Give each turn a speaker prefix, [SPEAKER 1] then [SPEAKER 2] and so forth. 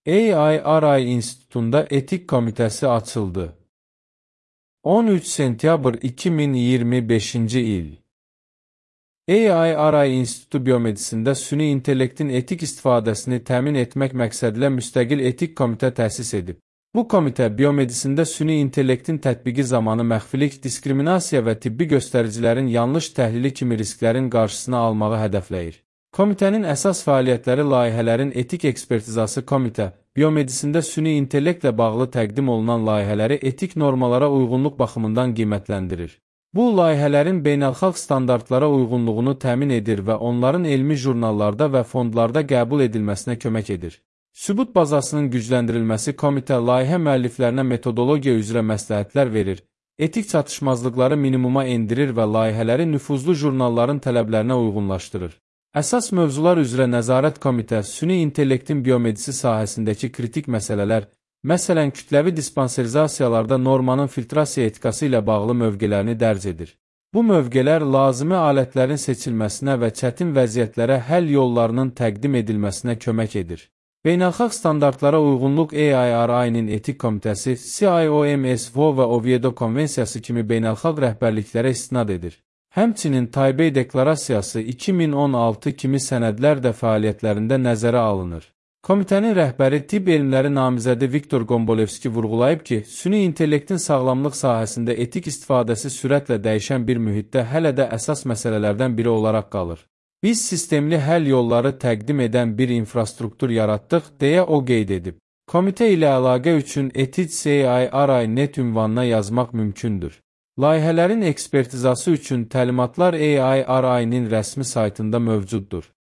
[SPEAKER 1] AIRI İnstitutunda Etik Komitəsi açıldı. 13 sentyabr 2025-ci il. AIRI İnstitutu Biomedisində süni intellektin etik istifadəsini təmin etmək məqsədilə müstəqil etik komitə təsis edib. Bu komitə biomedisində süni intellektin tətbiqi zamanı məxfilik, diskriminasiya və tibbi göstəricilərin yanlış təhlili kimi risklərin qarşısını almağı hədəfləyir. Komitənin əsas fəaliyyətləri layihələrin etik ekspertizası. Komitə, biomedisində süni intellektlə bağlı təqdim olunan layihələri etik normalara uyğunluq baxımından qiymətləndirir. Bu, layihələrin beynəlxalq standartlara uyğunluğunu təmin edir və onların elmi jurnallarda və fondlarda qəbul edilməsinə kömək edir. Sübut bazasının gücləndirilməsi. Komitə layihə müəlliflərinə metodologiya üzrə məsləhətlər verir, etik çatışmazlıqları minimuma endirir və layihələri nüfuzlu jurnalların tələblərinə uyğunlaşdırır. Əsas mövzular üzrə nəzarət. Komitə, süni intellektin biomedisi sahəsindəki kritik məsələlər, məsələn, kütləvi dispanserizasiyalarda normanın filtrasiya etikası ilə bağlı mövqelərini dərc edir. Bu mövqelər lazımi alətlərin seçilməsinə və çətin vəziyyətlərə həll yollarının təqdim edilməsinə kömək edir. Beynəlxalq standartlara uyğunluq. AIRI-nin etik komitəsi, CIOMS-VO və Oviedo konvensiyası kimi beynəlxalq rəhbərliklərə istinad edir. Həmçinin Taybey deklarasiyası 2016 kimi sənədlər də fəaliyyətlərində nəzərə alınır. Komitənin rəhbəri, tibb elmləri namizədi Viktor Gombolevski vurğulayıb ki, süni intellektin sağlamlıq sahəsində etik istifadəsi sürətlə dəyişən bir mühitdə hələ də əsas məsələlərdən biri olaraq qalır. Biz sistemli həll yolları təqdim edən bir infrastruktur yaratdıq, deyə o qeyd edib. Komitə ilə əlaqə üçün ethics.AIRI.net ünvanına yazmaq mümkündür. Layihələrin ekspertizası üçün təlimatlar AIRI-nin rəsmi saytında mövcuddur.